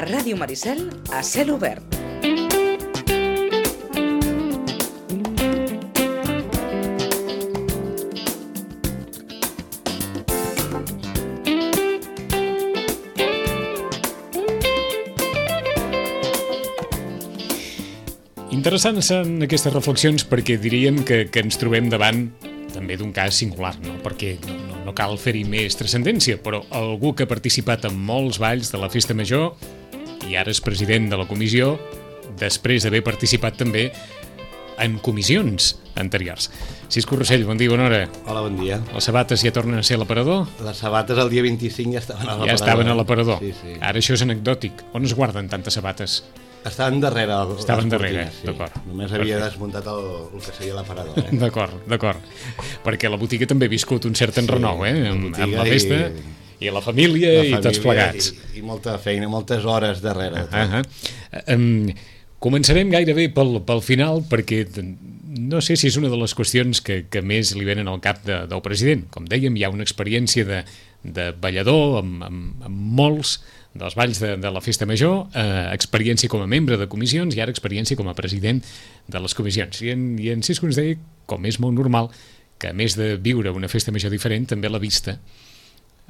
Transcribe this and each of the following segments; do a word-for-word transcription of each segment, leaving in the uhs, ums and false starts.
Ràdio Maricel a cel obert. Interessants són aquestes reflexions perquè diríem que, que ens trobem davant també d'un cas singular, no? Perquè no, no, no cal fer-hi més transcendència, però algú que ha participat en molts balls de la Festa Major i ara és president de la comissió, després d'haver participat també en comissions anteriors. Cisco Rossell, bon dia, bona hora. Hola, bon dia. Les sabates ja tornen a ser a l'aparador? Les sabates el dia vint-i-cinc ja estaven a l'aparador. Ja estaven a l'aparador. Sí, sí. Ara això és anecdòtic. On es guarden tantes sabates? Estaven darrere. Estaven darrere, sí. d'acord. Només havia Perfecte. desmuntat el, el que seria l'aparador. Eh? D'acord, d'acord. Perquè la botiga també ha viscut un cert enrenou, sí, eh? Amb, amb la festa i, i la família la i família tots plegats. I, I molta feina, moltes hores darrere. Uh -huh. um, començarem gairebé pel, pel final perquè no sé si és una de les qüestions que, que més li venen al cap de, del president. Com dèiem, hi ha una experiència de, de ballador amb, amb, amb molts dels balls de, de la Festa Major, eh, experiència com a membre de comissions i ara experiència com a president de les comissions. I en, i en Cisco ens deia, com és molt normal, que a més de viure una Festa Major diferent, també l'ha vista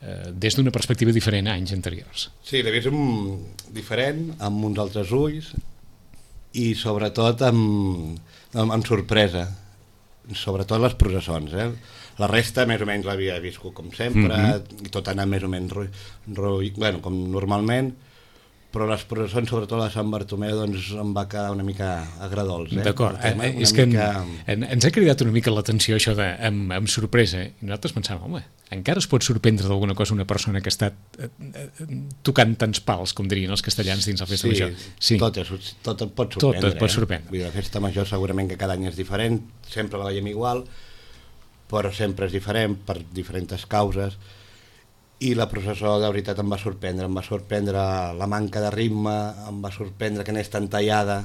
eh, des d'una perspectiva diferent a anys anteriors. Sí, l'he vist un, diferent, amb uns altres ulls i sobretot amb, amb, amb sorpresa, sobretot les processons, eh? La resta més o menys l'havia viscut com sempre, mm-hmm. i tot ha anat més o menys ru, ru, bueno, com normalment, però les processons, sobretot la de Sant Bartomeu, doncs em va quedar una mica agradols. Eh? D'acord, eh, és que mica... en, ens ha cridat una mica l'atenció això de, amb, amb sorpresa, i nosaltres pensàvem, home, encara es pot sorprendre d'alguna cosa una persona que està eh, eh, tocant tants pals, com dirien els castellans dins la Festa sí, Major. Sí, tot, és, tot et pot sorprendre. Tot et pot sorprendre. Eh? Vull dir, la Festa Major segurament que cada any és diferent, sempre la veiem igual, però sempre és diferent per diferents causes, i la processó de veritat em va sorprendre, em va sorprendre la manca de ritme, em va sorprendre que n'és tan tallada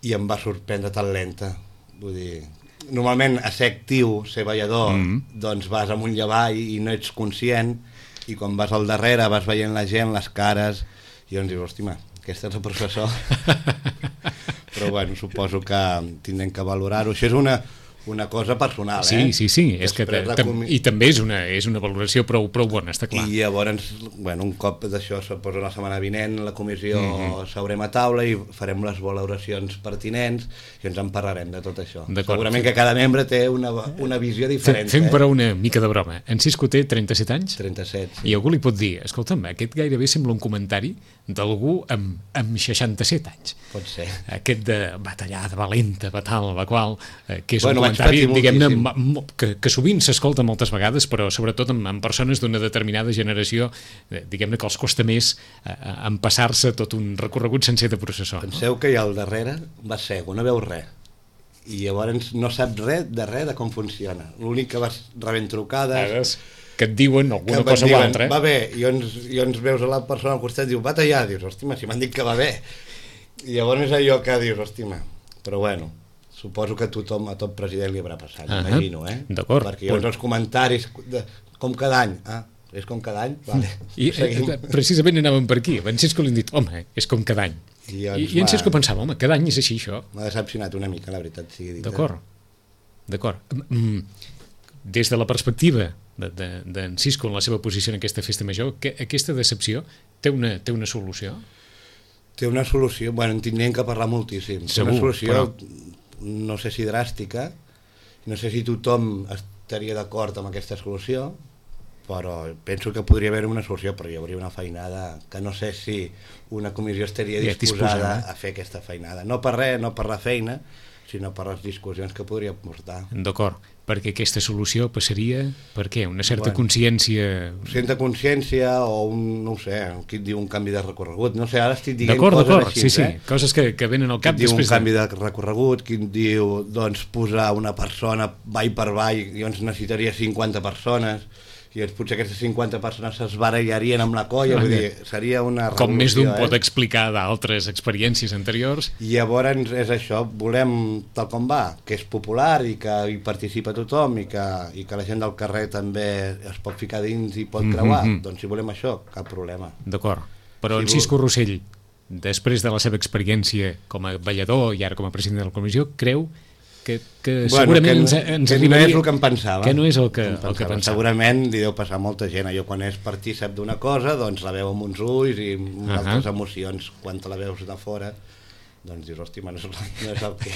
i em va sorprendre tan lenta. Vull dir, normalment a ser actiu, ser ballador, mm-hmm. doncs vas amunt i avall i no ets conscient, i quan vas al darrere vas veient la gent, les cares, i llavors dius, hòstima, aquesta és la processó. Però bueno, suposo que tindrem que valorar-ho. Això és una... una cosa personal, sí, eh? Sí, sí, és que com... i també és una, és una valoració prou, prou bona, està clar. I llavors, bueno, un cop d'això, suposo la setmana vinent, la comissió mm-hmm. seurem a taula i farem les valoracions pertinents i ens en parlarem de tot això. Segurament que cada membre té una, una visió diferent. Fem eh? però una mica de broma. En Cisco té trenta-set anys? trenta-set, sí. I algú li pot dir, escolta'm, aquest gairebé sembla un comentari d'algú amb, amb seixanta-set anys. Pot ser. Aquest de batallada, valenta, batal, la qual, eh, que és bueno, un comentari, diguem-ne, que, que sovint s'escolta moltes vegades, però sobretot amb, amb persones d'una determinada generació, eh, diguem-ne que els costa més eh, empassar-se tot un recorregut sencer de processó. Penseu no? que allà al darrere va cego, no veu res. I llavors no sap res de res de com funciona. L'únic que vas rebent trucades... que et diuen alguna cosa diuen, o altra. Va bé, i llavors, i llavors veus a la persona al costat i dius, va tallar, dius, hòstima, si m'han dit que va bé. I llavors és allò que dius, hòstima, però bueno, suposo que a tothom, a tot president li haurà passat, uh-huh. imagino, eh? D'acord. Perquè llavors els comentaris, de, com cada any, ah, és com cada any? Vale. I eh, precisament anàvem per aquí, en Cisco li han dit, home, és com cada any. I, I, i en Cisco pensava, home, cada any és així, això. M'ha decepcionat una mica, la veritat, sigui dit. D'acord, d'acord. Des de la perspectiva d'en de, de Cisco en la seva posició en aquesta Festa Major, que aquesta decepció té una, té una solució? Té una solució, bueno, en tindríem que parlar moltíssim. Segur, té una solució, però... no sé si dràstica, no sé si tothom estaria d'acord amb aquesta solució, però penso que podria haver una solució, però hi hauria una feinada que no sé si una comissió estaria disposada, disposada a fer aquesta feinada. No per res, no per la feina, sinó per les discussions que podria portar. D'acord, perquè aquesta solució passaria per què? Una certa bueno, consciència... Certa consciència o un, no ho sé, qui et diu un canvi de recorregut, no sé, ara estic dient d'acord, coses d'acord, així, sí, sí, eh? coses que, que venen al cap qui després diu un canvi de recorregut, qui diu, doncs, posar una persona ball per ball, i llavors necessitaria cinquanta persones, i doncs potser aquestes cinquanta persones s'esbarallarien amb la colla, vull dir, seria una revolució. Com més d'un eh? pot explicar d'altres experiències anteriors. I llavors és això, volem tal com va, que és popular i que hi participa tothom i que, i que la gent del carrer també es pot ficar dins i pot creuar, mm-hmm. doncs si volem això, cap problema. D'acord. Però en Cisco Rossell, després de la seva experiència com a ballador i ara com a president de la comissió, creu que, que bueno, segurament que, ens, ens que arribaria... no és el que em pensava. Que no és el que, el el que pensava. Segurament li deu passar a molta gent. Jo quan és partícip d'una cosa, doncs la veu amb uns ulls i amb uh -huh. altres emocions. Quan te la veus de fora, doncs dius, hòstia, no és, no és el, que,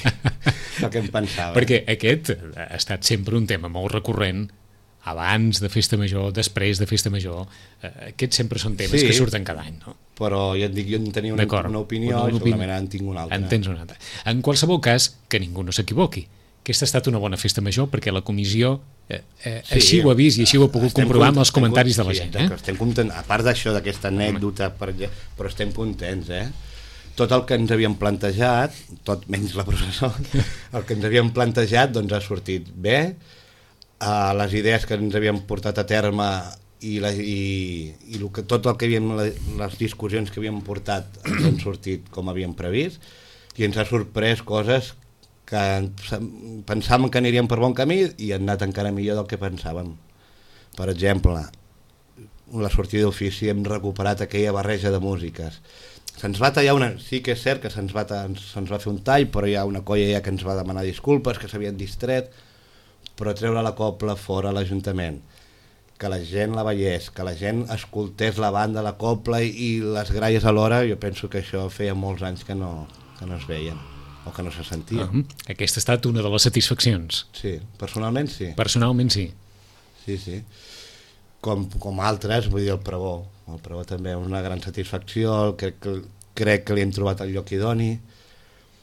el que em pensava. Perquè aquest ha estat sempre un tema molt recurrent, abans de Festa Major, després de Festa Major. Aquests sempre són temes sí, que surten cada any, no? Però ja et dic, jo en tenia una, una opinió una, una i segurament en tinc una altra. En tens una altra. En qualsevol cas, que ningú no s'equivoqui. Aquesta ha estat una bona Festa Major perquè la comissió eh, eh, sí, així ho ha vist i així ho ha pogut comprovar amb els comentaris de la gent. Sí, eh? Estem contents, a part d'això, d'aquesta anècdota, per, però estem contents, eh? Tot el que ens havíem plantejat, tot menys la processó, el que ens havíem plantejat doncs ha sortit bé. Uh, les idees que ens havíem portat a terme i, la, i, i el que, tot el que havíem, les discussions que havíem portat ens han sortit com havíem previst i ens ha sorprès coses que pensàvem que aniríem per bon camí i han anat encara millor del que pensàvem. Per exemple, la sortida d'ofici, hem recuperat aquella barreja de músiques. Se'ns va tallar una... Sí que és cert que se'ns va, se'ns va fer un tall, però hi ha una colla ja que ens va demanar disculpes, que s'havien distret, però treure la copla fora a l'Ajuntament, que la gent la veiés, que la gent escoltés la banda, la copla i, i les gralles alhora, jo penso que això feia molts anys que no, que no es veien o que no se sentien. Uh-huh. Aquesta ha estat una de les satisfaccions. Sí, personalment sí. Personalment sí. Sí, sí. Com, com altres, vull dir, el pregó. El pregó també és una gran satisfacció, crec que, crec que li hem trobat el lloc idoni,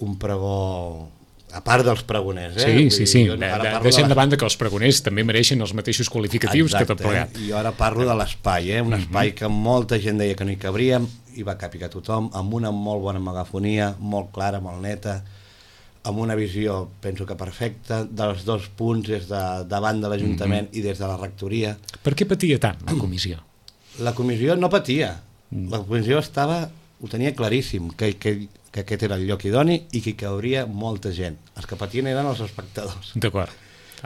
un pregó... A part dels pregoners, eh? Sí, sí, sí. Jo, de, de, deixem de banda que els pregoners també mereixen els mateixos qualificatius. Exacte, que tot plegat. I jo ara parlo de l'espai, eh? Un espai que molta gent deia que no hi cabríem, i va capicar tothom, amb una molt bona megafonia, molt clara, molt neta, amb una visió, penso que perfecta, dels dos punts des de davant de l'Ajuntament mm-hmm. i des de la rectoria. Per què patia tant la comissió? La comissió no patia. La comissió estava, ho tenia claríssim, que, que que aquest era el lloc idoni i que hi cauria molta gent. Els que patien eren els espectadors. D'acord.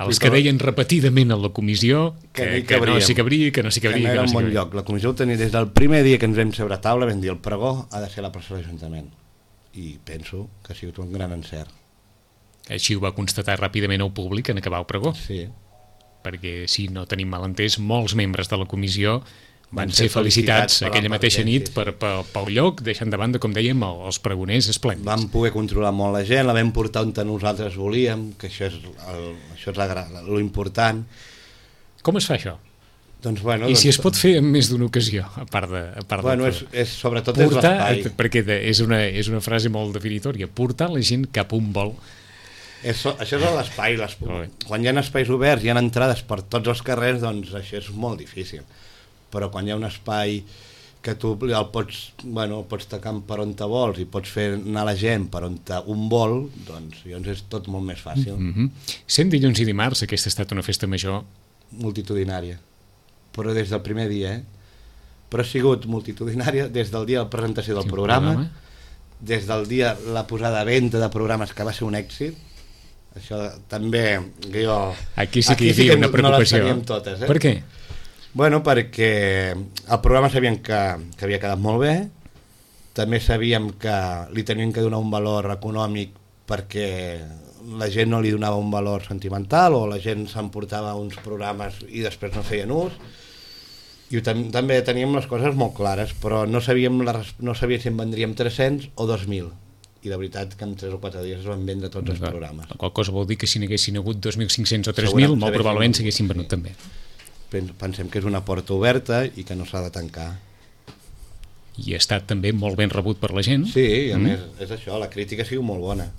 Els que deien repetidament a la comissió que, que, no s'hi cabria, que no s'hi cabria. Que no era un bon lloc. La comissió ho tenia des del primer dia que ens vam seure a taula, vam dir el pregó ha de ser a la plaça de l'Ajuntament. I penso que ha sigut un gran encert. Així ho va constatar ràpidament el públic en acabar el pregó. Sí. Perquè, si no tenim malentès, molts membres de la comissió van ser felicitats aquella mateixa nit per, per, pel lloc, deixant de banda, com dèiem, els pregoners esplèndids. Vam poder controlar molt la gent, la vam portar on nosaltres volíem, que això és, el, això és la, lo important. Com es fa això? Doncs, bueno, I doncs, si es pot fer en més d'una ocasió, a part de... A part bueno, de és, és, sobretot portar, és l'espai. Perquè és una, és una frase molt definitòria, portar la gent cap a un vol. És, això és l'espai. Quan hi ha espais oberts, hi ha entrades per tots els carrers, doncs això és molt difícil. Però quan hi ha un espai que tu el pots, bueno, el pots tacar per on te vols i pots fer anar la gent per on te un vol, doncs llavors és tot molt més fàcil. Mm-hmm. Sent dilluns i dimarts, aquesta ha estat una festa major? Multitudinària, però des del primer dia, eh? Però ha sigut multitudinària des del dia de la presentació del sí, programa, programa, des del dia la posada a venda de programes, que va ser un èxit. Això també, que jo... Aquí sí que hi havia una preocupació. No les teníem totes, eh? Per què? Bueno, perquè el programa sabíem que, que havia quedat molt bé, també sabíem que li tenien que donar un valor econòmic perquè la gent no li donava un valor sentimental o la gent s'emportava uns programes i després no feien ús, i tam també teníem les coses molt clares, però no sabíem, la, no sabíem si en vendríem tres-cents o dos mil, i la veritat que en tres o quatre dies es van vendre tots els programes. La qual cosa vol dir que si n'haguessin hagut dos mil cinc-cents o tres mil, molt probablement s'haguessin venut sí. també. Pensem que és una porta oberta i que no s'ha de tancar. I ha estat també molt ben rebut per la gent. Sí, i a mm. més és això, la crítica ha sigut molt bona.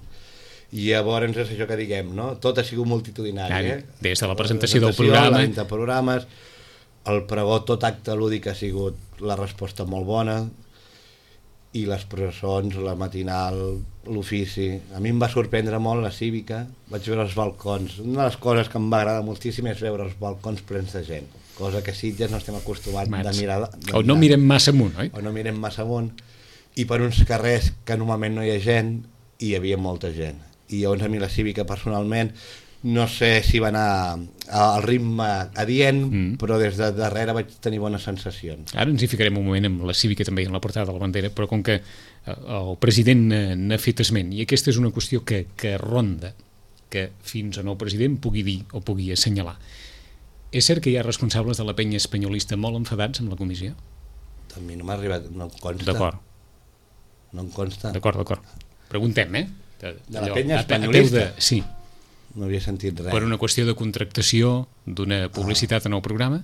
I llavors és això que diguem, no? Tot ha sigut multitudinari. Eh? Des de la presentació, la presentació del programa... La venda de programes, el pregó, tot acte lúdic ha sigut la resposta molt bona, i les processons, la matinal, l'ofici. A mi em va sorprendre molt la cívica, vaig veure els balcons. Una de les coses que em va agradar moltíssim és veure els balcons plens de gent, cosa que Sitges no estem acostumats Mats. de mirar... De o no mirem massa amunt, oi? O no mirem massa amunt, i per uns carrers que normalment no hi ha gent, hi havia molta gent. I llavors a mi la cívica personalment no sé si va anar al ritme adient, mm. però des de darrere vaig tenir bones sensacions. Ara ens hi ficarem un moment amb la cívica també, en la portada de la bandera, però com que el president n'ha fet esment, i aquesta és una qüestió que, que ronda, que fins a nou president pugui dir o pugui assenyalar. És cert que hi ha responsables de la penya espanyolista molt enfadats amb la comissió? A mi no m'ha arribat, no em consta. D'acord. No em consta. D'acord, d'acord. Preguntem, eh? De, de la penya espanyolista? De... Sí. No havia sentit res. Per una qüestió de contractació d'una publicitat ah. en el programa?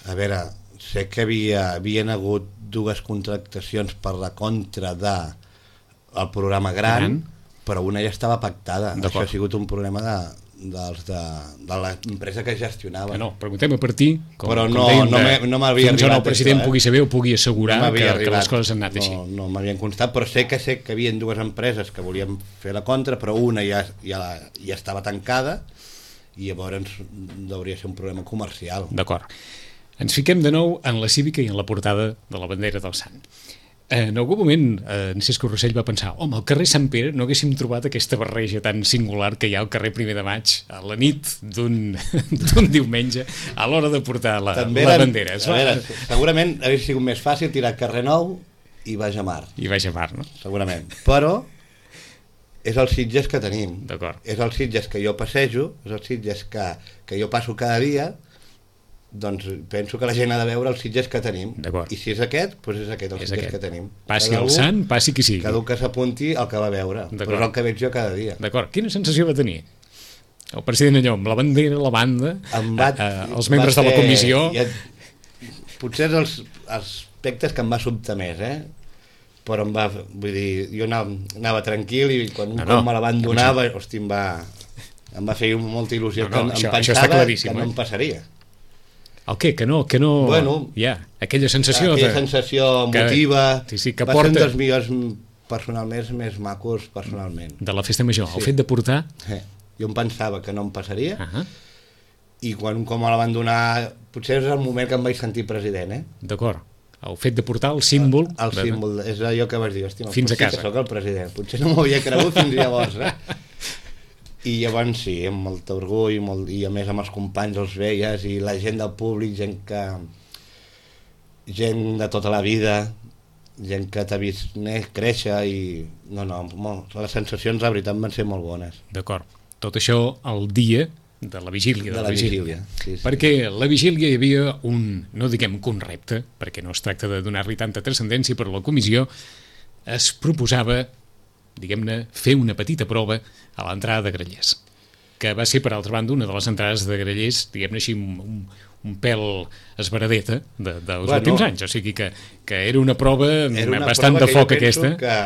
A veure, sé que havia, havien hagut dues contractacions per la contra de el programa Gran, Gran. Però una ja estava pactada. Això ha sigut un problema de... dels de, de l'empresa que gestionava. No, preguntem a partir, com, però com no, dèiem, no, de, no m'havia arribat. Fins on el president això, eh? pugui saber o pugui assegurar no que, que les coses han anat no, així. No m'havien constat, però sé que sé que hi havia dues empreses que volien fer la contra, però una ja, ja, ja estava tancada i llavors hauria ser un problema comercial. D'acord. Ens fiquem de nou en la cívica i en la portada de la bandera del Sant. En algun moment, en Cisco Rossell va pensar, home, al carrer Sant Pere no haguéssim trobat aquesta barreja tan singular que hi ha al carrer Primer de Maig a la nit d'un diumenge a l'hora de portar la, També la eren, bandera. A veure, segurament hauria sigut més fàcil tirar carrer Nou i Baix a Mar. I Baix a Mar, no? Segurament. Però és el Sitges que tenim. D'acord. És el Sitges que jo passejo, és el Sitges que, que jo passo cada dia, doncs penso que la gent ha de veure els Sitges que tenim. I si és aquest, doncs és aquest el és Sitges aquest. Que tenim. Passi el Sant, passi qui sigui. Cada un que s'apunti el que va veure, però és el que veig jo cada dia. D'acord. Quina sensació va tenir el president allò, amb la bandera, la banda, va, a, a, els membres ser, de la comissió? Ja, potser és els aspectes que em va sobtar més, eh? Però em va, vull dir, jo anava, anava tranquil i quan un no, cop me la van donar, no, hosti, em va, em va fer molta il·lusió, no, no, que això, em pensava que no em passaria. El què? Que no? Que no... Bueno, ja, aquella sensació... Aquella de... sensació emotiva, que, sí, sí, que va porta... ser un dels millors personalment més macos personalment. De la festa major, sí. El fet de portar... Eh, jo em pensava que no em passaria, uh -huh. i quan com me la van donar, potser és el moment que em vaig sentir president, eh? D'acord. El fet de portar el símbol... El, el de... símbol, és allò que vas dir, hòstia, fins a casa. Que soc el president. Potser no m'ho havia cregut fins llavors, eh? I llavors sí, amb molt orgull, molt, i a més amb els companys els veies, i la gent del públic, gent que... gent de tota la vida, gent que t'ha vist créixer, i... No, no, molt, les sensacions, la veritat, van ser molt bones. D'acord. Tot això el dia de la vigília. De, de la vigília, vigília. Sí, sí. Perquè la vigília hi havia un, no diguem que un repte, perquè no es tracta de donar-li tanta transcendència, però la comissió es proposava, diguem-ne, fer una petita prova a l'entrada de Grallers, que va ser, per altra banda, una de les entrades de Grallers, diguem-ne així, un, un, un pèl esbaradeta de, dels bueno, últims anys, o sigui que, que era una prova era una bastant prova de foc aquesta. Que,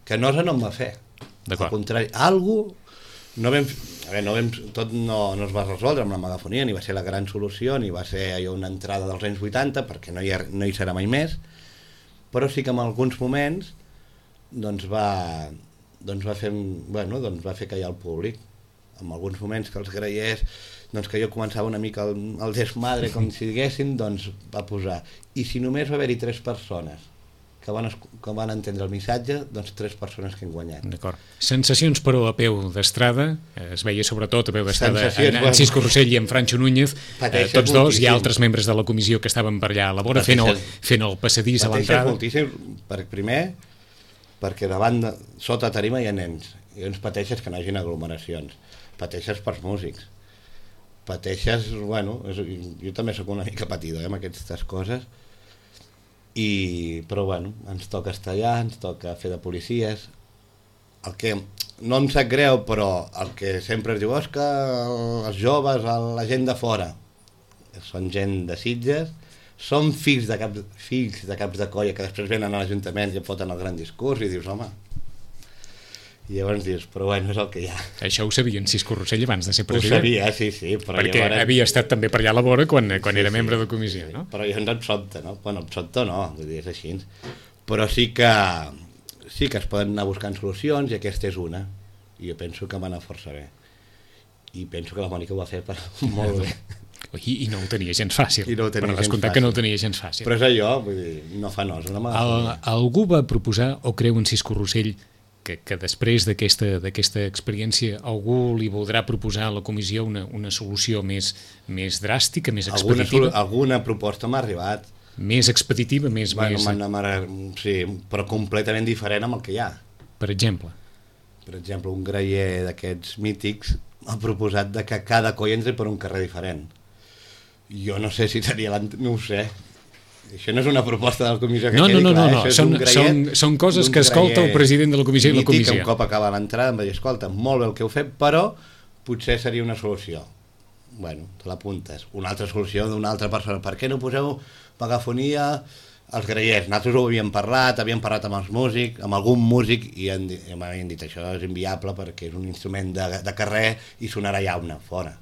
que Nosa no em va fer. Al contrari, algú no vam, a veure, no vam, tot no, no es va resoldre amb la megafonia, ni va ser la gran solució, ni va ser allò una entrada dels anys vuitanta, perquè no hi, ha, no hi serà mai més, però sí que en alguns moments doncs va, doncs va fer, bueno, doncs va fer callar el públic. En alguns moments que els Grallers, doncs que jo començava una mica el, el desmadre, com si diguéssim, doncs va posar. I si només va haver-hi tres persones que van, que van entendre el missatge, doncs tres persones que han guanyat. D'acord. Sensacions, però, a peu d'estrada, es veia sobretot a peu d'estrada en, en Cisco Rossell i en Francho Núñez, eh, tots dos, moltíssim. Hi ha altres membres de la comissió que estaven per allà a la vora fent el, fent el passadís a l'entrada. Moltíssim, per primer, perquè davant, de, sota tarima hi ha nens, i ens pateixes que no hi hagi aglomeracions, pateixes pels músics, pateixes, bueno, és, jo també sóc una mica patidor eh, amb aquestes coses, i, però bueno, ens toca estar allà, ens toca fer de policies, el que no em sap greu, però el que sempre es diu és que els joves, la gent de fora, són gent de Sitges, són fills de caps, fills de caps de colla que després venen a l'Ajuntament i foten el gran discurs i dius, home, i llavors dius, però bueno, és el que hi ha. Això ho sabia en Cisco Rossell abans de ser president? Ho sabia, sí, sí. Però perquè llavors... havia estat també per allà a la vora quan, quan sí, era membre sí, de comissió, sí, no? Però llavors em sobta, no? Bueno, em sobta no, vull dir, és així. Però sí que, sí que es poden anar buscant solucions i aquesta és una. I jo penso que va anar força bé. I penso que la Mònica ho va fer per molt bé. I, i no ho tenia gens fàcil. I no ho tenia però gens descomptat fàcil. Que no ho tenia gens fàcil. Però és allò, vull dir, no fa nos. No El, algú va proposar, o creu en Cisco Rossell, que, que després d'aquesta d'aquesta experiència algú li voldrà proposar a la comissió una, una solució més, més dràstica, més expeditiva? Alguna, alguna proposta m'ha arribat. Més expeditiva, més... Bueno, més... sí, però completament diferent amb el que hi ha. Per exemple? Per exemple, un graller d'aquests mítics m'ha proposat de que cada coll entri per un carrer diferent. Jo no sé si seria... No ho sé. Això no és una proposta de la comissió que no, quedi no, no, clar. No, no, són, són, són coses que escolta el president de la comissió i la comissió. Un cop acaba l'entrada em va dir, escolta, molt bé el que heu fet, però potser seria una solució. Bueno, te l'apuntes. Una altra solució d'una altra persona. Per què no poseu megafonia als grallers? Nosaltres ho havíem parlat, havíem parlat amb els músics, amb algun músic, i m'havien dit això és inviable perquè és un instrument de, de carrer i sonarà llauna, fora.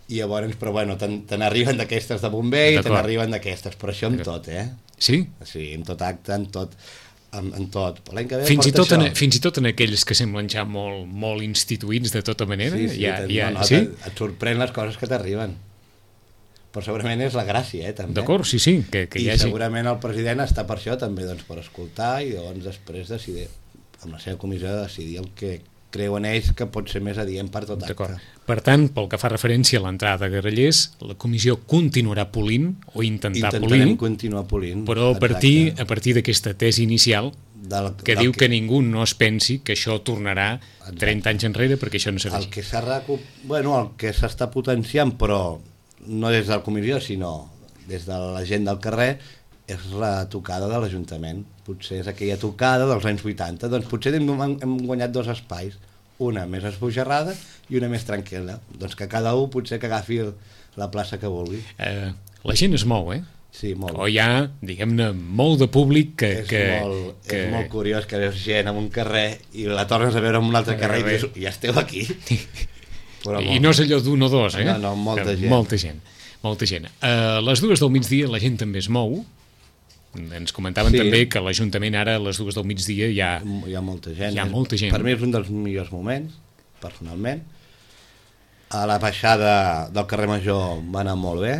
I llavors, però bueno, te n'arriben d'aquestes de bomber i te n'arriben d'aquestes, però això amb tot, eh? Sí? Sí, en tot acte, en tot. En, en tot. L'any que ve fins, i tot en, fins i tot en aquells que semblen ja molt, molt instituïts de tota manera? Sí, sí, ja, ja, no, no, sí? Et sorprèn les coses que t'arriben. Però segurament és la gràcia, eh, també. D'acord, sí, sí. Que, que I hi hagi... segurament el president està per això, també, doncs, per escoltar i llavors després decidir, amb la seva comissió, decidir el que creuen ells que pot ser més adient per tot acte. Per tant, pel que fa referència a l'entrada de grallers, la comissió continuarà polint o intentar Intentarem polir, continuar polint, però a partir, a partir d'aquesta tesi inicial del, que del diu que... que ningú no es pensi que això tornarà exacte. trenta anys enrere, perquè això no serà el que s'ha recu... bueno, el que s'està potenciant, però no des de la comissió, sinó des de la gent del carrer, és la tocada de l'Ajuntament. Potser és aquella tocada dels anys vuitanta. Doncs potser hem, hem guanyat dos espais, una més esbojarrada i una més tranquil·la. Doncs que cada un potser que agafi la plaça que vulgui. Eh, la gent es mou, eh? Sí, molt. O hi ha, diguem-ne, molt de públic que... És, que, molt, que... és molt curiós que veus gent en un carrer i la tornes a veure en un altre carrer i dius, ja esteu aquí. Però I molt... no és allò d'un o dos, eh? No, no, molta gent. Molta gent. Molta gent. A les dues del migdia la gent també es mou. Ens comentaven sí. també que l'Ajuntament ara a les dues del migdia hi ha... Hi ha molta gent. Hi ha molta gent. Per mi és un dels millors moments, personalment. A la baixada del carrer Major va anar molt bé.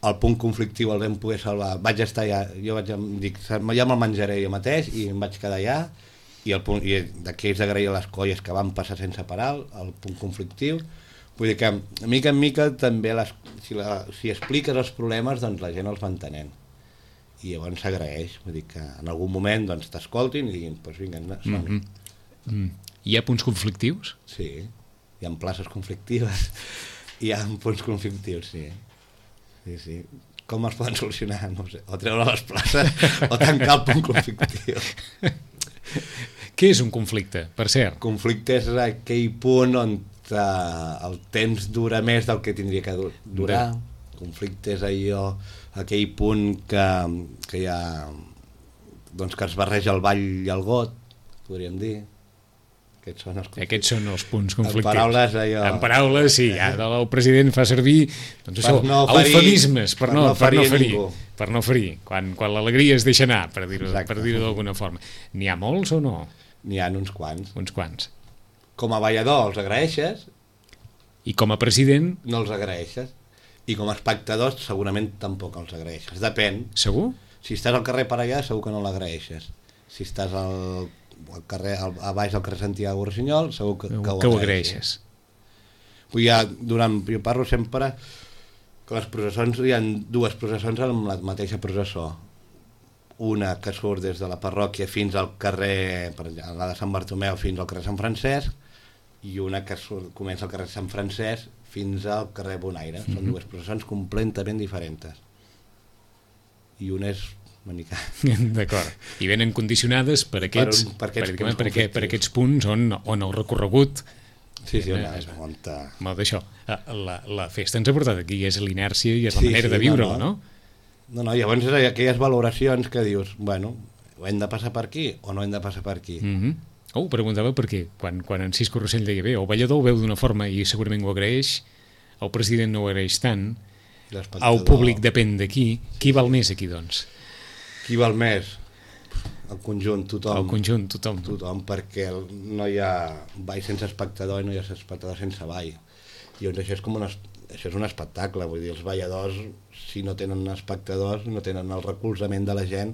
El punt conflictiu el vam poder salvar. Vaig estar allà, jo vaig dir, ja me'l menjaré jo mateix i em vaig quedar allà. I, el punt, i d'aquells d'agrair les colles que van passar sense parar, el punt conflictiu. Vull dir que, mica en mica, també les, si, la, si expliques els problemes, doncs la gent els va entenent. I llavors s'agraeix, vull dir que en algun moment doncs t'escoltin i diguin, doncs vinga, som-hi. Mm -hmm. mm. Hi ha punts conflictius? Sí, hi ha places conflictives, hi ha punts conflictius, sí. Sí, sí. Com els poden solucionar? No ho sé, o treure les places o tancar el punt conflictiu. Què és un conflicte, per cert? Conflicte és aquell punt on el temps dura més del que tindria que durar. Conflicte és allò, aquell punt que, que hi ha, doncs que es barreja el ball i el got, podríem dir. Aquests són els, Aquests són els punts conflictius. En paraules, allò... En paraules, sí, ara el president fa servir doncs això, per no ferir, eufemismes, per, per, no, no per no ferir, per no ferir, quan, quan l'alegria es deixa anar, per dir-ho per dir d'alguna forma. N'hi ha molts o no? N'hi ha uns quants. Uns quants. Com a ballador els agraeixes. I com a president? No els agraeixes. I com a espectadors segurament tampoc els agraeixes. Depèn. Segur? Si estàs al carrer per allà segur que no l'agraeixes. Si estàs al, al carrer, al, a baix del carrer Santiago Rossinyol segur que, que, que, ho, que ho agraeixes. Vull ja, durant, jo parlo sempre que les processons, hi ha dues processons amb la mateixa processó. Una que surt des de la parròquia fins al carrer, per exemple, la de Sant Bartomeu fins al carrer Sant Francesc, i una que surt, comença al carrer Sant Francesc fins al carrer Bonaire. Mm-hmm. Són dues processons completament diferents. I una és una mica... D'acord. I venen condicionades per aquests, per, per, aquests, per, punts per, per, per aquests punts on, on el recorregut... Sí, sí, on es munta... Molt d'això. La, la festa ens ha portat aquí, és l'inèrcia i és la sí, manera sí, de viure-ho, no? No, no, no llavors és aquelles valoracions que dius, bueno, ho hem de passar per aquí o no hem de passar per aquí? Mm-hmm. Oh, preguntava per què, quan, quan en Cisco Rossell deia bé, el ballador ho veu d'una forma i segurament ho agraeix, el president no ho agraeix tant, el públic depèn d'aquí, qui val més aquí, doncs? Qui val més? El conjunt, tothom. El conjunt, tothom. Tothom, perquè no hi ha ball sense espectador i no hi ha espectador sense ball. I doncs això és com un, això és un espectacle, vull dir, els balladors, si no tenen espectadors, no tenen el recolzament de la gent,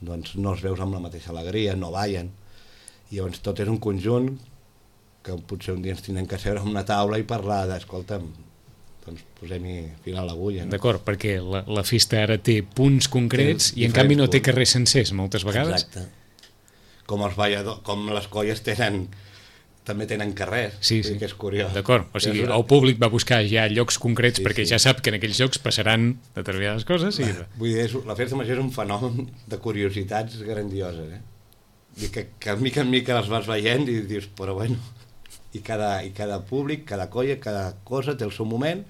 doncs no els veus amb la mateixa alegria, no ballen. I llavors tot és un conjunt que potser un dia ens tindrem que seure a una taula i parlar d'escolta'm, doncs posem-hi fil a l'agulla. No? D'acord, perquè la, la festa ara té punts concrets Té i en canvi no té punts. carrers sencers moltes vegades. Exacte. Com els balladors, com les colles tenen, també tenen carrers, Sí, vull sí. dir que és curiós. D'acord, o sigui, És una- el públic va buscar ja llocs concrets Sí, perquè sí. ja sap que en aquells llocs passaran determinades coses i... Vull dir, és, la festa major és un fenomen de curiositats grandioses, eh? I que, que mica en mica les vas veient i dius, però bueno, i cada, i cada públic, cada colla, cada cosa té el seu moment,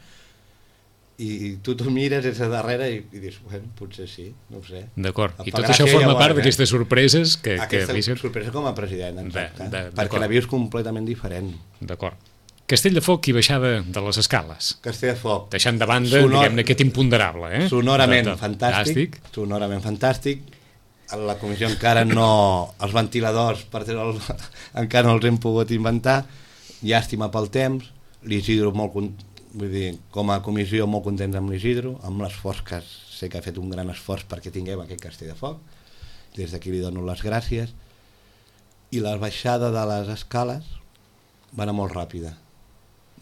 i, i tu t'ho mires des de darrere i, i dius, bueno, potser sí, no ho sé. D'acord, Em i fa tot això gràcia forma llavors, part eh? d'aquestes sorpreses que... Aquesta que... sorpresa com a president, exacte, De- de- perquè d'acord. la vius completament diferent. D'acord. Castell de Foc i baixada de les escales. Castell de Foc, Deixant de banda, Sonor- diguem-ne, aquest imponderable, eh? sonorament De- de- fantàstic, sonorament fantàstic. A la comissió encara no... Els ventiladors, per treure el, encara no els hem pogut inventar. Llàstima pel temps. L'Isidro, molt, con- vull dir, com a comissió, molt contents amb l'Isidro, amb l'esforç que sé que ha fet un gran esforç perquè tinguem aquest Castell de Foc. Des d'aquí li dono les gràcies. I la baixada de les escales va anar molt ràpida.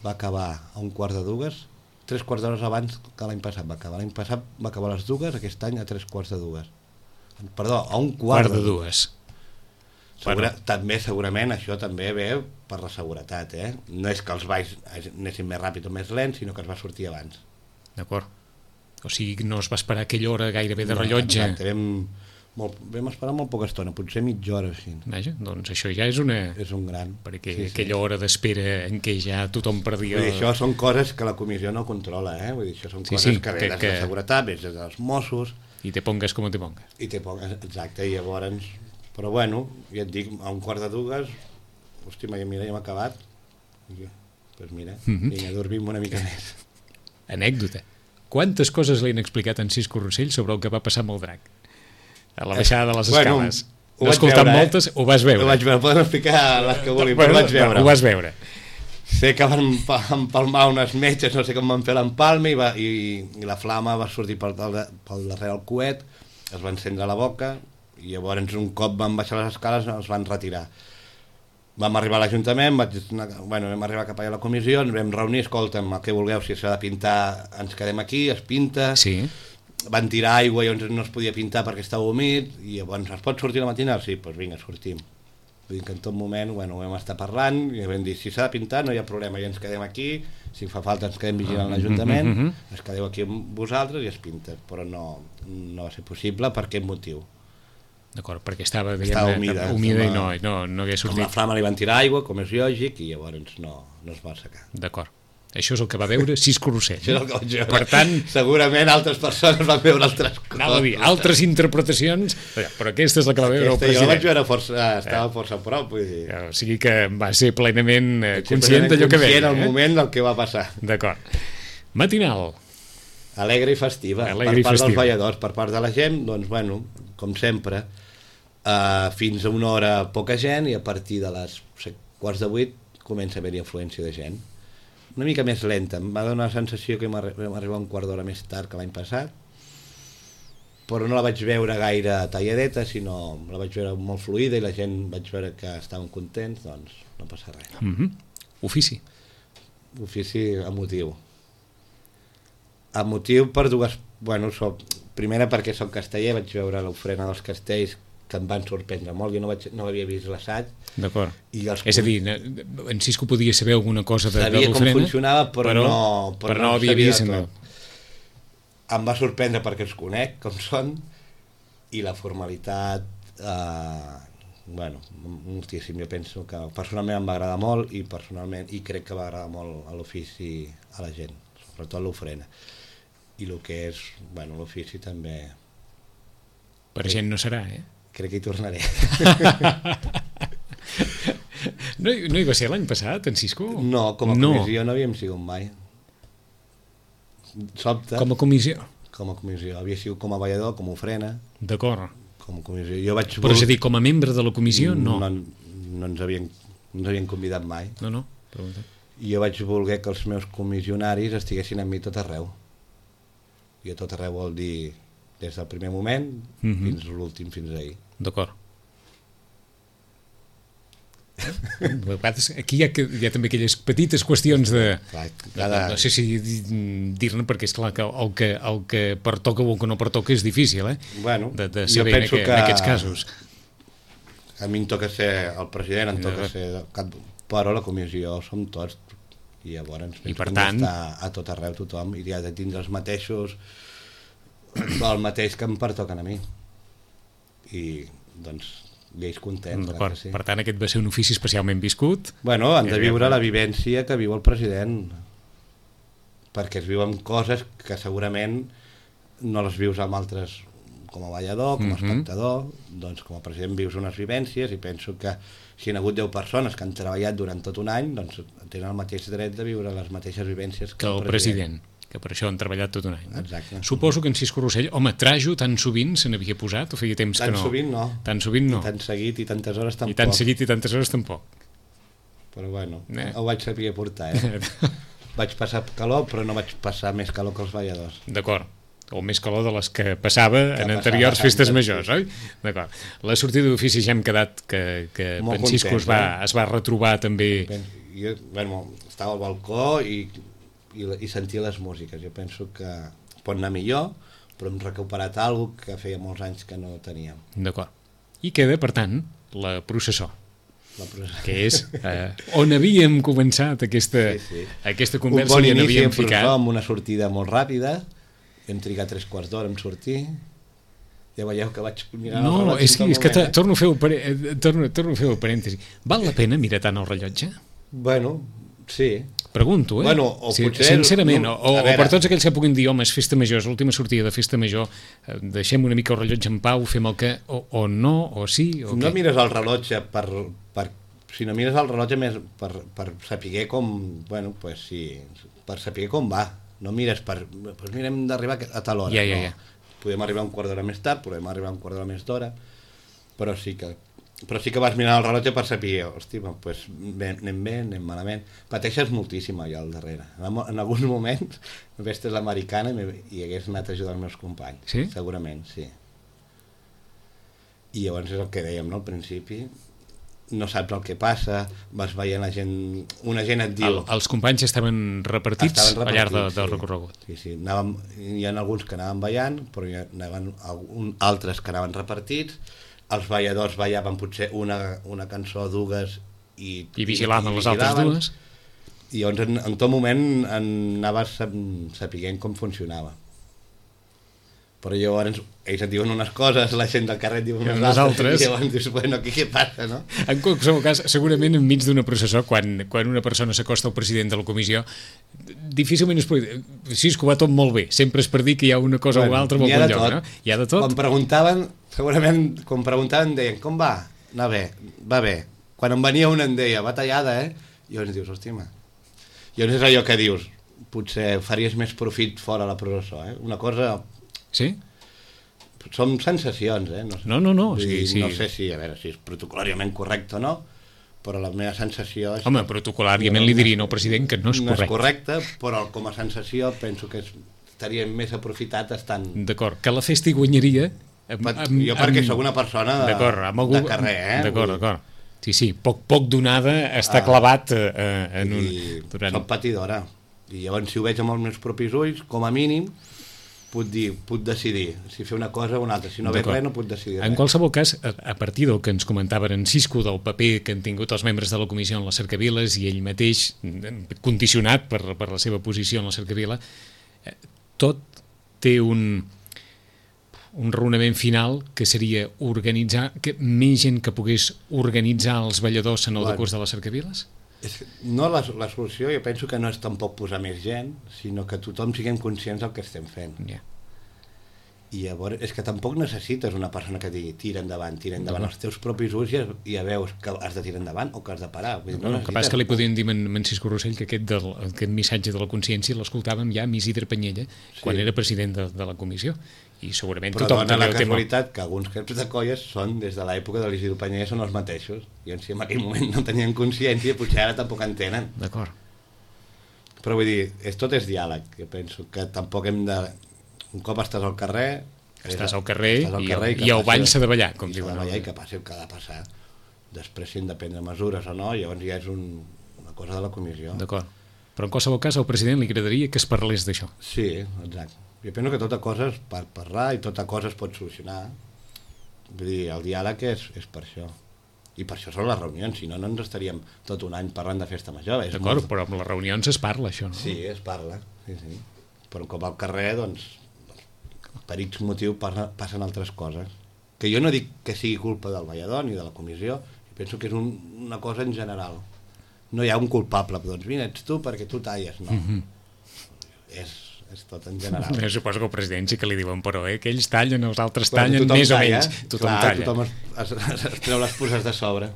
Va acabar a un quart de dues, tres quarts d'hores abans que l'any passat va acabar. L'any passat va acabar a les dues, aquest any a tres quarts de dues. Perdó, a un quart, Quart de dues. Segura, Bueno. També, segurament, això també ve per la seguretat, eh? No és que els balls anessin més ràpid o més lents, sinó que es va sortir abans. D'acord. O sigui, no es va esperar aquella hora gairebé de No, rellotge. exacte, vam, molt, vam esperar molt poca estona, potser mitja hora així. Vaja, doncs això ja és una... És un gran. Perquè Sí, sí. aquella hora d'espera en què ja tothom perdia... Vull dir, això són coses que la comissió no controla, eh? Vull dir, això són Sí, coses sí, que que- ve des que- de seguretat, ve des dels Mossos, I te pongues com te pongues. i te pongues, exacte, i llavors... Però bueno, ja et dic, a un quart de dues, hosti, mira, ja hem acabat. Doncs pues mira, Mhm. vinga, dormim una mica més. Anècdota. Quantes coses li han explicat en Cisco Rossell sobre el que va passar amb el drac? A la baixada de les Bueno, escales. ho No vaig escoltant veure, eh? moltes, ho vas veure. Ho vaig veure, poden explicar les que vulguin, Bueno, però ho vaig veure. Ho vas veure. Sé que van empa- empalmar unes metges, no sé com van fer l'empalme, i, va, i, i la flama va sortir pel, pel darrere del coet, es va encendre la boca, i llavors un cop van baixar les escales els van retirar. Vam arribar a l'Ajuntament, vaig anar, bueno, vam arribar cap allà a la comissió, ens vam reunir, escolta'm, el que vulgueu, si s'ha de pintar, ens quedem aquí, es pinta, Sí. van tirar aigua i llavors no es podia pintar perquè estava humit, i llavors es pot sortir a la matinada? Sí, doncs vinga, sortim. Vull dir que en tot moment, bueno, ho vam estar parlant, i vam dir, si s'ha de pintar no hi ha problema, i ens quedem aquí, si fa falta ens quedem vigilant l'Ajuntament, Mhm, mhm. ens quedeu aquí amb vosaltres i es pinta, però no, no va ser possible per aquest motiu. D'acord, perquè estava, Estava diguem-ne, humida, humida i estava- no, no, no hagués Com la sortit. flama li van tirar aigua, com és lògic, i llavors no, no es va assecar. D'acord. Això és el que va veure Cisco Rossell. Això és el que vaig veure. Per tant, segurament altres persones van veure altres coses. anava a dir, altres interpretacions, però aquesta és la que va veure el Aquesta, jo la vaig president. veure força, estava força a prop, vull dir. O sigui que va ser plenament eh, Vaig ser conscient d'allò que conscient veia. al Eh? moment del que va passar. D'acord. Matinal. Alegre i festiva, Alegre i per part festiva. dels balladors, per part de la gent, doncs bueno, com sempre, uh, fins a una hora poca gent i a partir de les set, quarts de vuit comença a haver-hi afluència de gent. Una mica més lenta, em va donar la sensació que vam arri- vam arribar un quart d'hora més tard que l'any passat, però no la vaig veure gaire talladeta, sinó la vaig veure molt fluida i la gent vaig veure que estaven contents, doncs no passa res. Mhm. Ofici. Ofici emotiu. Emotiu per dues... Bueno, soc, primera perquè soc casteller, vaig veure l'ofrena dels castells que em van sorprendre molt, jo no, vaig, no havia vist l'assaig. D'acord. I els És a dir, en Cisco podia saber alguna cosa de, de sabia com l'ofrena, funcionava, però, però, no, però no havia sabia vist... de No. tot. Em va sorprendre perquè els conec, com són, i la formalitat, eh, bueno, moltíssim. Jo penso que personalment em va agradar molt i personalment i crec que va agradar molt a l'ofici a la gent, sobretot l'ofrena. I el que és, bueno, l'ofici també... Per gent no serà, eh? Crec que hi tornaré. No, hi- no hi va ser l'any passat, en Cisco? No, com a No. comissió no havíem sigut mai. Sobte, Com a comissió. com a comissió. Havia sigut com a ballador, com a ofrena, D'acord. com a comissió. Jo vaig... Però és a dir, com a membre de la comissió, no. No, no ens havien, no ens havien convidat mai. No, no. Pregunta. I jo vaig voler que els meus comissionaris estiguessin amb mi tot arreu. I a tot arreu vol dir des del primer moment Mhm. fins a l'últim, fins ahir. D'acord. Aquí hi ha, hi ha també aquelles petites qüestions de... Clar, cada... No sé si dir-ne, perquè és clar que el que, el que pertoca o el que no pertoca és difícil, eh? Bueno, de, de saber en, que, que en aquests casos. A mi em toca ser el president, em toca ser cap... però la comissió som tots, i llavors I per que tant... està a tot arreu tothom, i ha de tindre els mateixos, el mateix que em pertoquen a mi. I, doncs, lleis contents. Sí. Per tant, aquest va ser un ofici especialment viscut. Bueno, han de viure la vivència que viu el president, perquè es viuen coses que segurament no les vius amb altres, com a ballador, com a espectador. Mm-hmm. Doncs com a president vius unes vivències, i penso que si hi ha hagut deu persones que han treballat durant tot un any, doncs tenen el mateix dret de viure les mateixes vivències que, que el president. president. Que per això han treballat tot un any. No? Exacte. Suposo que en Cisco Rossell, home, trajo tan sovint se n'havia posat, o feia temps tan que no? Tan sovint no. Tan sovint no. I tan seguit i tantes hores tampoc. I tan seguit i tantes hores tampoc. Però bueno, eh. ho vaig saber portar, eh? Vaig passar calor, però no vaig passar més calor que els balladors. D'acord. O més calor de les que passava que en anteriors passava festes majors, oi? D'acord. La sortida d'ofici ja hem quedat que, que en Cisco es va, eh? es va retrobar també... Jo, bueno, estava al balcó i... I, i sentir les músiques. Jo penso que pot anar millor, però hem recuperat alguna cosa que feia molts anys que no teníem. D'acord. I queda, per tant, la processó. La processó. Que és eh, on havíem començat aquesta, sí, sí. aquesta conversa. Un bon i on inici havíem en processó ficat. amb una sortida molt ràpida, hem trigat tres quarts d'hora en sortir, ja veieu que vaig mirar no, el rellotge. És que, és que eh? torno, a fer el, torno, torno a fer el parèntesi. Val la pena mirar tant el rellotge? Bueno, sí. Pregunto, eh? Bueno, o sí, potser... Sincerament, no, o, o per tots aquells que puguin dir, home, és festa major, és l'última sortida de festa major, eh, deixem una mica el rellotge en pau, fem el que... O, o no, o sí, o no què? Mires el rellotge per... per si no mires el rellotge més per, per saber com... Bueno, pues sí, per saber com va. No mires per... Pues mirem d'arribar a tal hora. Ja, ja, ja. No. Podem arribar un quart d'hora més tard, podem arribar un quart d'hora més d'hora, però sí que... Però sí que vas mirar el rellotge per saber, hosti, pues, anem bé, anem malament. Pateixes moltíssim allà al darrere. En, en alguns moments vestes l'americana i, i hagués anat a ajudar els meus companys. Sí? Segurament, sí. I llavors és el que dèiem, no?, al principi. No saps el que passa, vas veient la gent... Una gent et diu... El, els companys estaven repartits, estaven repartits al llarg de, del sí. recorregut. Sí, sí. Anàvem, hi ha alguns que anaven ballant, però hi ha algun, altres que anaven repartits. Els balladors ballaven potser una, una cançó, dues, i, I vigilaven i, i les altres dues. I llavors en, en tot moment anaves sapiguent com funcionava. Però llavors ells et diuen unes coses, la gent del carrer et diu unes altres, altres, i llavors dius, bueno, aquí què passa, no? En qualsevol cas, segurament enmig d'una processó, quan, quan una persona s'acosta al president de la comissió, difícilment es pot dir, Cisco, va tot molt bé, sempre és per dir que hi ha una cosa bueno, o altra en algun lloc, no? Hi ha de tot. Quan preguntaven, segurament, quan preguntaven deien, com va? Anar bé, va bé. Quan em venia una em deia, va tallada, eh? I llavors dius, hòstia, ma. I llavors és allò que dius, potser faries més profit fora la processó, eh? Una cosa... Sí? Són sensacions, eh? No, no, no. no. Sí, sí, no sí. sé si, a veure, si és protocolàriament correcte o no, però la meva sensació... És Home, protocolàriament li dirien al president que no és correcte. No és correcte, però com a sensació penso que estaria més aprofitat estant... D'acord, que la festa hi guanyaria... Amb, amb, jo perquè amb... sóc una persona de, algú... de carrer, eh? D'acord, d'acord. Sí, sí, poc, poc donada està ah, clavat eh, en un... Durant... Soc patidora. I llavors, si ho veig amb els meus propis ulls, com a mínim, puc dir, puc decidir si fer una cosa o una altra. Si no veig res, no puc decidir res. En qualsevol cas, a, a partir del que ens comentaven en Cisco, del paper que han tingut els membres de la comissió en les cercaviles i ell mateix, condicionat per, per la seva posició en la cercavila, tot té un, un raonament final que seria organitzar, que més gent que pogués organitzar els balladors en el bueno, decurs de les cercaviles? És, no, la, la solució jo penso que no és tampoc posar més gent, sinó que tothom siguem conscients del que estem fent. Yeah. I llavors és que tampoc necessites una persona que digui tira endavant, tira endavant. No. Els teus propis ulls ja, ja veus que has de tirar endavant o que has de parar. Vull dir, no, no el que passa que li podien dir a en Cisco Rossell que aquest, del, aquest missatge de la consciència l'escoltàvem ja amb Isidre Penyella, sí, quan era president de, de la comissió. I segurament però tothom dona la el tema... casualitat que alguns caps de colles són des de l'època de l'Isidre Penyella són els mateixos. I si en aquell moment no tenien consciència, potser ara tampoc en tenen. D'acord. Però vull dir, és, tot és diàleg. Jo penso que tampoc hem de... Un cop estàs al carrer... Estàs al carrer, estàs al i, carrer i, i el ball s'ha de ballar, com diuen. S'ha de ballar no? i que passi el que ha de passar. després si hem de prendre mesures o no, llavors ja és un, una cosa de la comissió. D'acord. Però en qualsevol cas al president li agradaria que es parlés d'això. Sí, exacte. Jo penso que tota cosa es per parlar i tota cosa es pot solucionar. Vull dir, el diàleg és, és per això. I per això són les reunions, si no, no ens estaríem tot un any parlant de festa major. D'acord, molt... però amb les reunions es parla, això, no? Sí, es parla, sí, sí. Però com al carrer, doncs, per X motiu passen altres coses. Que jo no dic que sigui culpa del ballador ni de la comissió, penso que és un, una cosa en general. No hi ha un culpable, doncs vine, ets tu perquè tu talles, no. Mm-hmm. És, és tot en general. Jo suposo que el president sí que li diuen, però eh, que ells tallen, els altres però tallen, més talla, o menys. Tothom clar, talla. Tothom es, es, es treu les puces de sobre.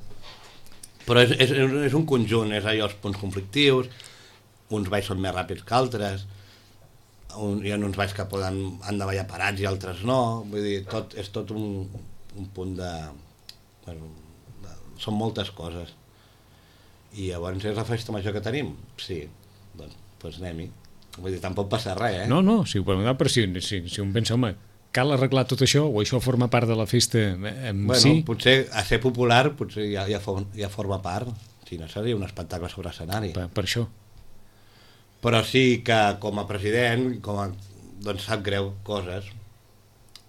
Però és, és, és un conjunt, és allò, els punts conflictius, uns balls són més ràpids que altres, un, hi ha uns balls que poden, han de ballar parats i altres no, vull dir, tot, és tot un, un punt de... Bueno, de, són moltes coses. I llavors és la festa major que tenim? Sí, doncs, doncs anem-hi. Vull dir, tampoc passa res, eh? No, no, si ho preguntava, però si, si, si un pensa, home, cal arreglar tot això o això forma part de la festa en bueno, si? Potser a ser popular potser ja, ja, for, ja forma part, si no seria un espectacle sobre escenari. Per, per això. Però sí que com a president, com a, doncs sap greu coses.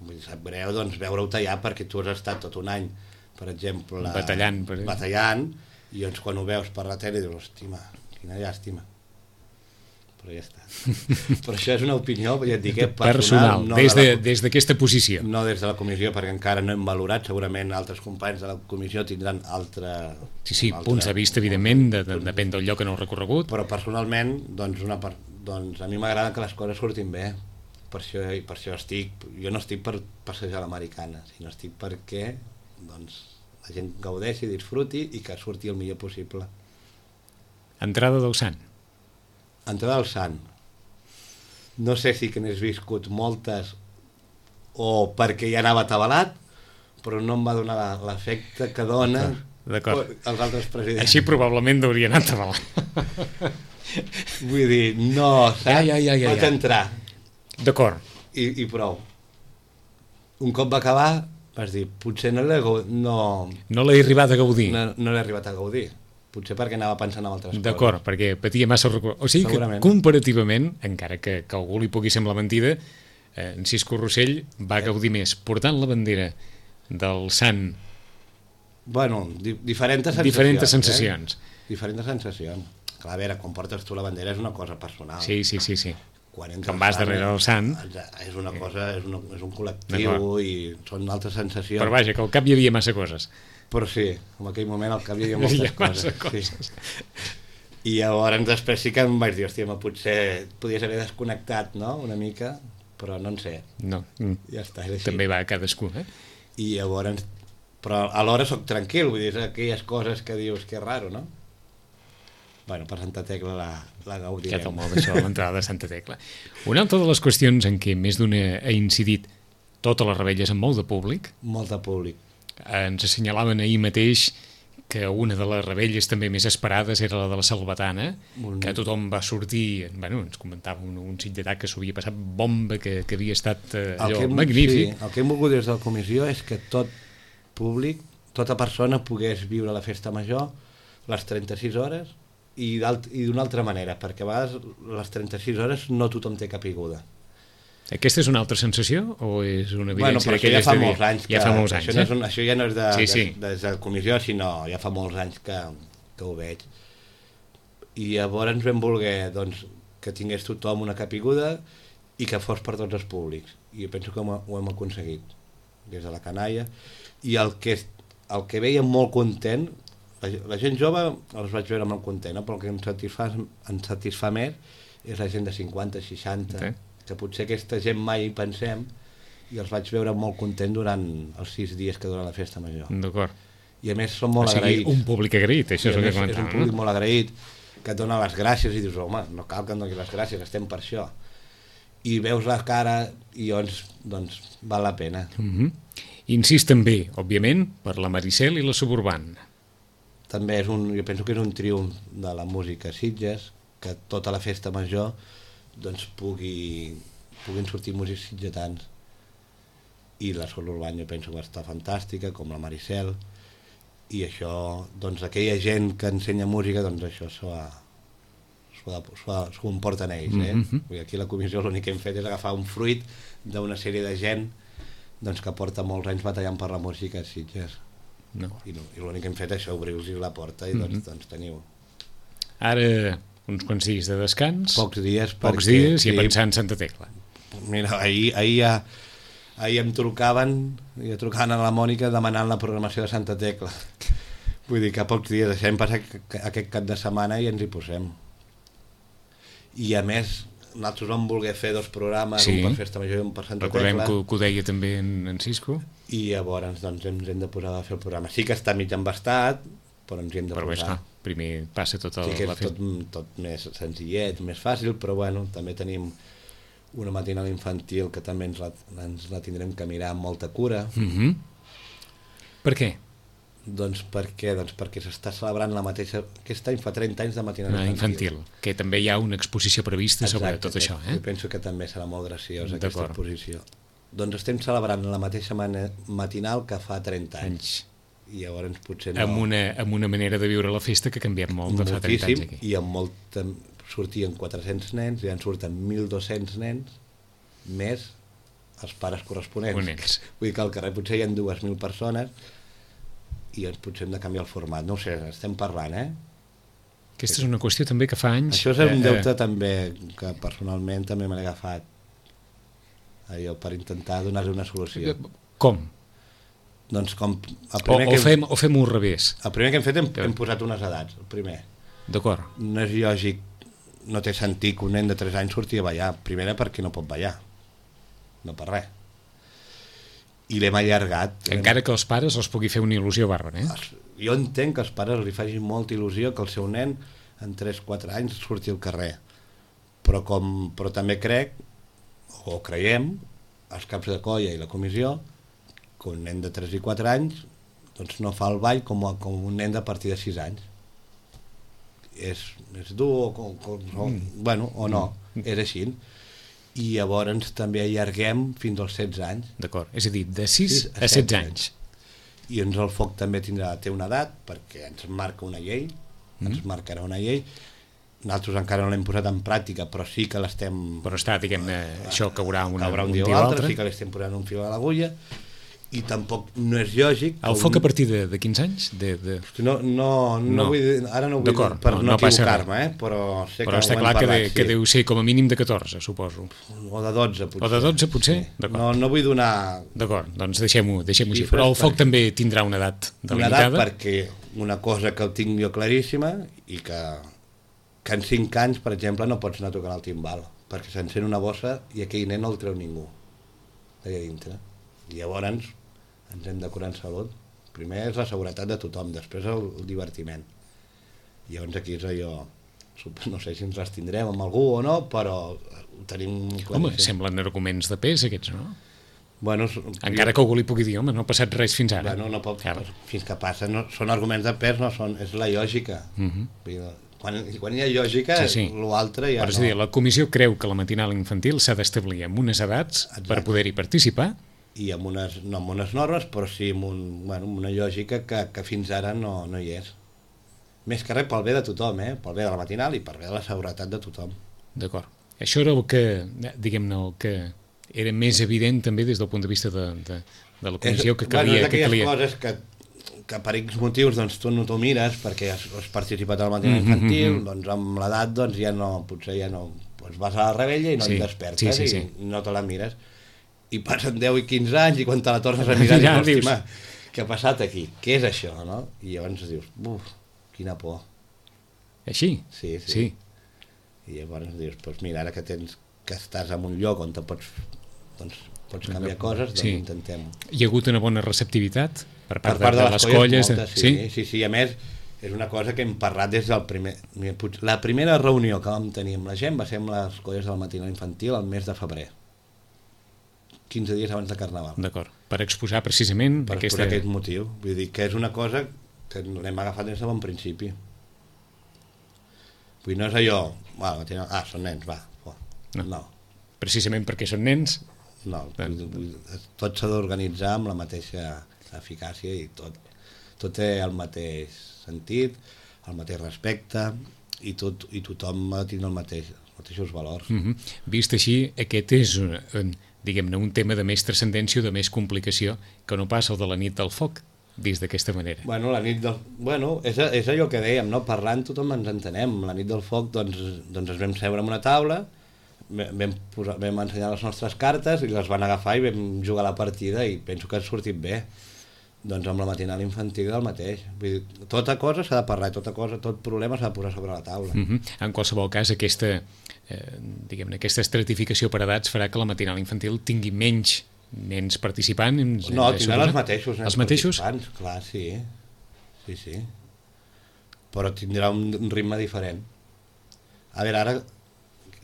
Vull dir, sap greu doncs, veure-ho tallar perquè tu has estat tot un any, per exemple... Batallant. Per batallant, i doncs quan ho veus per la tele dius, hòstima, quina llàstima. Però ja està. Però això és una opinió, ja et dic, eh, personal. Personal, no des, de de, la, des d'aquesta posició. no des de la comissió, perquè encara no hem valorat, segurament altres companys de la comissió tindran altre... Sí, sí, altre, punts de vista, evidentment, de, de, depèn del lloc en el recorregut. Però personalment, doncs, una part, doncs a mi m'agrada que les coses surtin bé. Per això, per això estic... Jo no estic per passejar l'americana, sinó estic perquè doncs, la gent gaudeixi, disfruti i que surti el millor possible. Entrada del Sant. Entrada del Sant. No sé si que n'he viscut moltes o perquè ja anava atabalat, però no em va donar l'efecte que dona D'acord. els altres presidents. Així probablement hauria anat atabalat. Vull dir, no, saps? Ja, ja, ja, ja, Vaig ja. entrar. D'acord. I, i prou. Un cop va acabar, vas dir, potser no l'he no, No l'he arribat a gaudir. no, no l'he arribat a gaudir. Potser perquè anava pensant en altres coses. D'acord, perquè patia massa record. O sigui que Segurament. comparativament, encara que, que algú li pugui semblar mentida, eh, en Cisco Rossell va gaudir més portant la bandera del Sant. Bueno, di diferents sensacions. Diferents sensacions. Eh? Diferents sensacions. Clar, a veure, quan portes tu la bandera és una cosa personal. Sí, sí, sí, sí. Quan, Quan vas darrere del Sant. És una cosa, és, una, és un col·lectiu i són altres sensacions. Però vaja, que al cap hi havia massa coses. Però sí, en aquell moment al cap hi havia moltes Hi ha massa coses. coses. Sí. I llavors després sí que em vaig dir, hòstia, ma, potser podies haver desconnectat, no?, una mica, però no en sé. No, mm. Ja està, és així. També va a cadascú, eh? I llavors, però alhora soc tranquil, vull dir, és aquelles coses que dius que és raro, no? Bueno, per Santa Tecla la, la gaudirem. Ja te'l molt això, l'entrada de Santa Tecla. Una altra de les qüestions en què més d'una ha incidit totes les rebelles amb molt de públic, Molt de públic. ens assenyalaven ahir mateix que una de les rebelles també més esperades era la de la Salvatana, Un... que tothom va sortir, bueno, ens comentava un, un sitgetà que s'ho havia passat bomba, que, que havia estat eh, allò hem, magnífic. Sí, el que hem volgut des de la comissió és que tot públic, tota persona pogués viure la festa major les trenta-sis hores i d'una altra manera, perquè a vegades les trenta-sis hores no tothom té capiguda. Aquesta és una altra sensació o és una Bueno, evidència però això ja d'aquelles fa de dir- molts anys que, ja fa molts anys, això, no eh? és un, això ja no és de, Sí, sí. de, des de la comissió, sinó ja fa molts anys que, que ho veig. I llavors ens vam voler doncs, que tingués tothom una capiguda i que fos per tots els públics. I jo penso que ho, ho hem aconseguit des de la canalla. I el que, el que veia molt content, la, la gent jove els vaig veure molt content, no? Però el que em satisfà, em satisfà més és la gent de cinquanta, seixanta, Sí. que potser aquesta gent mai hi pensem, i els vaig veure molt content durant els sis dies que dura la festa major. D'acord. I a més són molt O sigui, agraïts. un públic agraït, això I és a el que més és un comentàvem. públic No? molt agraït, que et dona les gràcies i dius, home, no cal que em doni les gràcies, estem per això. I veus la cara i llavors, doncs, val la pena. Mm -hmm. Incís també, òbviament, per la Maricel i la Suburban. També és un, jo penso que és un triomf de la música a Sitges, que tota la festa major doncs pugui, puguin sortir músics sitgetans. I la Sol Urbana jo penso que està fantàstica, com la Maricel, i això, doncs aquella gent que ensenya música, doncs això s'ho ha s'ho comporten ells, eh? Mm-hmm. Aquí la comissió l'únic que hem fet és agafar un fruit d'una sèrie de gent doncs, que porta molts anys batallant per la música a Sitges. No. I, no, i l'únic que hem fet és obrir-los la porta i doncs, mm-hmm. doncs teniu. Ara uns quants dies de descans. Pocs dies. Pocs perquè, dies i sí, a pensar en Santa Tecla. Mira, ahir, ahir, ja, ahir em trucaven, i trucaven a la Mònica demanant la programació de Santa Tecla. Vull dir que a pocs dies deixem passar aquest cap de setmana i ens hi posem. I a més, nosaltres vam voler fer dos programes, sí. un per Festa Major i un per Santa Recordem Tecla. Recordem que ho deia també en, en Cisco. I llavors doncs, ens hem de posar a fer el programa. Sí que està mig embastat, però ens hi hem de però posar. Bé, primer passa tot el... Sí que és tot, tot més senzillet, més fàcil, però bueno, també tenim una matinal infantil que també ens la, ens la tindrem que mirar amb molta cura. Mm-hmm. Per què? Doncs perquè, doncs perquè s'està celebrant la mateixa... Aquest any fa trenta anys de matinal infantil. infantil. Que també hi ha una exposició prevista Exacte, sobre tot això. Eh? Jo penso que també serà molt graciosa aquesta exposició. Doncs estem celebrant la mateixa matinal que fa trenta anys. I llavors potser no... Amb una, amb una manera de viure la festa que ha canviat molt de fa trenta anys aquí. I amb molta... sortien quatre-cents nens, i en surten mil dos-cents nens, més els pares corresponents. Ponents. Vull dir que al carrer potser hi ha dues mil persones i ens potser hem de canviar el format. No ho sé, estem parlant, eh? Aquesta és una qüestió també que fa anys... Això és un deute eh, també que personalment també m'he agafat allò per intentar donar-li una solució. Com? Doncs com... El primer o, o, que fem, o fem-ho al revés. El primer que hem fet hem, hem posat unes edats, el primer. D'acord. No és lògic, no té sentit que un nen de tres anys surti a ballar. Primera perquè no pot ballar, no per res. I l'hem allargat. Encara que els pares els pugui fer una il·lusió bàrbara, eh? Jo entenc que els pares li facin molta il·lusió que el seu nen en tres quatre anys surti al carrer. Però, com, però també crec, o creiem, els caps de colla i la comissió, que un nen de tres i quatre anys doncs no fa el ball com, a, com un nen de partir de sis anys. És, és dur o, o, o, mm. bueno, o no, mm. és així. I llavors també allarguem fins als setze anys. D'acord, és a dir, de sis a setze anys. I ens el foc també tindrà, té una edat, perquè ens marca una llei, mm. ens marcarà una llei. Nosaltres encara no l'hem posat en pràctica, però sí que l'estem... Però està, diguem-ne, això caurà, una, caurà un, un dia o l'altre, sí que l'estem posant un fil a l'agulla, i tampoc no és lògic... El foc un... a partir de, de quins anys? De, de... No, no, no, no vull dir, ara no vull dir per no, no equivocar-me, eh? però sé però que està clar parlat, que, de, sí. que deu ser com a mínim de catorze, suposo. O de dotze, potser. O de dotze, potser? Sí. No, no vull donar... D'acord, doncs deixem-ho deixem així. Però el foc perquè... també tindrà una edat delimitada? Una edat perquè una cosa que ho tinc jo claríssima i que, que en cinc anys, per exemple, no pots anar a tocar el timbal, perquè s'encén una bossa i aquell nen no el treu ningú d'allà dintre. I llavors ens hem de curar en salut. Primer és la seguretat de tothom, després el, el divertiment. I llavors aquí és allò, no sé si ens les tindrem amb algú o no, però ho tenim claríssim. Home, semblen arguments de pes aquests, no? Bueno, encara jo... que algú li pugui dir, home, no ha passat res fins ara. Bueno, no pot, claro. Fins que passa, no, són arguments de pes, no són, és la lògica. Uh-huh. Quan, quan hi ha lògica, sí, sí. l'altre ja però, no. És a dir, la comissió creu que la matinal infantil s'ha d'establir amb unes edats Exacte. Per poder-hi participar, i amb unes, no amb unes normes, però sí amb, un, bueno, amb una lògica que, que fins ara no, no hi és. Més que res pel bé de tothom, eh? Pel bé de la matinal i pel bé de la seguretat de tothom. D'acord. Això era el que, diguem-ne, el que era més evident també des del punt de vista de, de, de la comissió, que calia... Bueno, és que calia... coses que, que per X motius doncs, tu no t'ho mires perquè has, has participat a la matinal infantil, mm-hmm. doncs amb l'edat doncs, ja no, potser ja no... Doncs vas a la rebella i no sí, et despertes sí, sí, sí. i no te la mires. I passen deu i quinze anys i quan te la tornes a mirar ja, dius, què ha passat aquí? Què és això? No? I llavors dius, buf, quina por. Així? Sí, sí. sí. I llavors dius, doncs mira, ara que tens que estàs en un lloc on te pots, doncs, pots canviar coses, doncs sí. intentem-ho. Hi ha hagut una bona receptivitat per part, per part de, de, de les colles? Moltes, sí, sí, sí, sí, a més és una cosa que hem parlat des del primer... La primera reunió que vam tenir amb la gent va ser amb les colles del matinal infantil al mes de febrer. quinze dies abans de Carnaval. D'acord, per exposar precisament per aquesta... exposar aquest motiu. Vull dir que és una cosa que l'hem agafat des de bon principi. Vull dir, no és allò, bueno, ah, són nens, va. Oh. No. no. Precisament perquè són nens? No, vull, vull, tot s'ha d'organitzar amb la mateixa eficàcia i tot. tot té el mateix sentit, el mateix respecte, i, tot, i tothom ha de tenir el mateix, els mateixos valors. Mm-hmm. Vist així, aquest és un, diguem-ne, un tema de més transcendència o de més complicació que no passa el de la nit del foc, vist d'aquesta manera. Bueno, la nit del... Bueno, és, és allò que dèiem, no? Parlant tothom ens entenem. La nit del foc, doncs, doncs ens vam seure en una taula, vam, posar, vam ensenyar les nostres cartes i les van agafar i vam jugar la partida i penso que ha sortit bé. Doncs amb la matinal infantil del mateix. Vull dir, tota cosa s'ha de parlar, tota cosa, tot problema s'ha de posar sobre la taula. Mm-hmm. En qualsevol cas, aquesta, eh, diguem-ne, aquesta estratificació per edats farà que la matinal infantil tingui menys nens participants? No, tindran els mateixos nens els mateixos? participants, clar, sí. Sí, sí. Però tindrà un ritme diferent. A veure, ara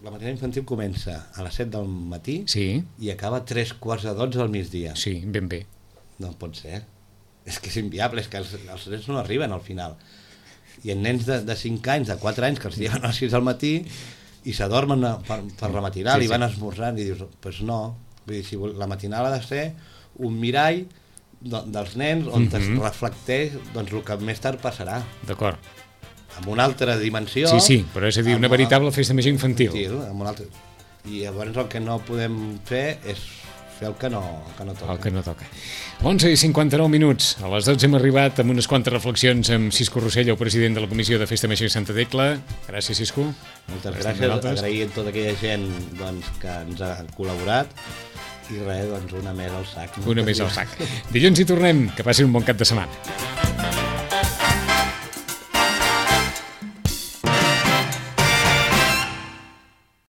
la matinal infantil comença a les set del matí, sí, i acaba a tres quarts de dotze del migdia. Sí, ben bé. No pot ser. És que és inviable, és que els, els nens no arriben al final. I en nens de, de cinc anys, de quatre anys, que els lleven a les sis del matí i s'adormen per, per la matinal, sí, i van sí. esmorzant, i dius, doncs pues no. Vull dir, si la matinal ha de ser un mirall de, dels nens on mm-hmm. es reflecteix doncs, el que més tard passarà. D'acord. Amb una altra dimensió. Sí, sí, però és a dir, una veritable festa major infantil. infantil amb una altra... I llavors el que no podem fer és fer el que no, el que no toca. El que no toca. onze i cinquanta-nou minuts. A les dotze hem arribat amb unes quantes reflexions amb Cisco Rossell, el president de la Comissió de Festa Major de Santa Tecla. Gràcies, Cisco. Moltes gràcies. Agrair a tota aquella gent doncs, que ens ha col·laborat. I res, doncs una més al sac. Una més al sac. Dilluns hi tornem. Que passin un bon cap de setmana.